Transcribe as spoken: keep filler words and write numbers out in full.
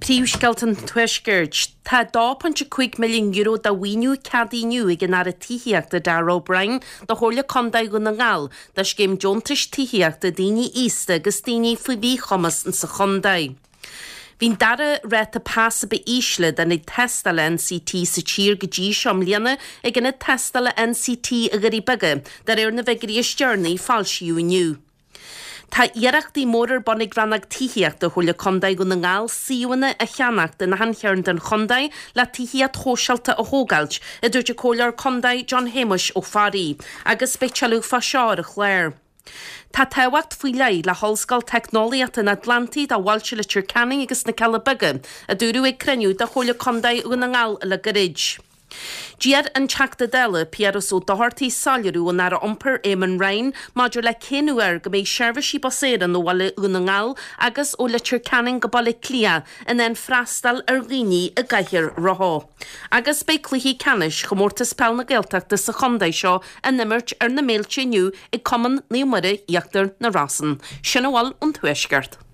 Príomhscéalta an Tuaiscirt. Tá dó pointe cúig milliún euro de mhaoiniú ceadaithe inniu ag an Aire Tithíochta Darragh O'Brien do Chomhairle Contae Dhún na nGall do scéim deontais tithíochta daoine aosta agus daoine faoi mhíchumas sa chontae. Bhí an dara ráta pas a ba ísle d'ionaid tástála NCT sa tír go dtí seo i mbliana ag ionad tástála NCT i nDoirí Beaga, de réir na bhfigiúirí is deireanaí a foilsíodh inniu. Tá iarrachtaí móra ar bun ag Rannóg Tithíochta Chomhairle Contae Dhún na nGall suíomhanna a cheannacht in achan chearn den chontae le tithíocht shóisialta a thógáilt, a dúirt an Comhairleoir Contae John Shéamuis Ó Fearraigh, agus beidh tuilleadh fá seo ar an chlár. Tá tábhacht faoi leith le hOllscoil Teicneolaíochta an Atlantaigh do bhailte Leitir Ceanainn agus na Cealla Beaga, a dúradh ag cruinniú de Chomhairle Contae Dhún na nGall le gairid. D'iarr an Teachta Dála Piaras Ó Dochartaigh soiléiriú ón Aire Iompair Eamon Ryan maidir le cén uair go mbeidh seirbhísí Bus Éireann ó bhaile Dhún na nGall agus ó Leitir Ceanainn go Baile Átha Cliath in ann freastal ar dhaoine i gcathaoir rotha. Agus beidh cluichí ceannais Chomórtas Peil na Gaeltachta sa chontae seo á n-imirt ar na mílte inniu ag Cumann Naomh Muire Íochtar na Rosann. Sin a bhfuil ón Tuaisceart.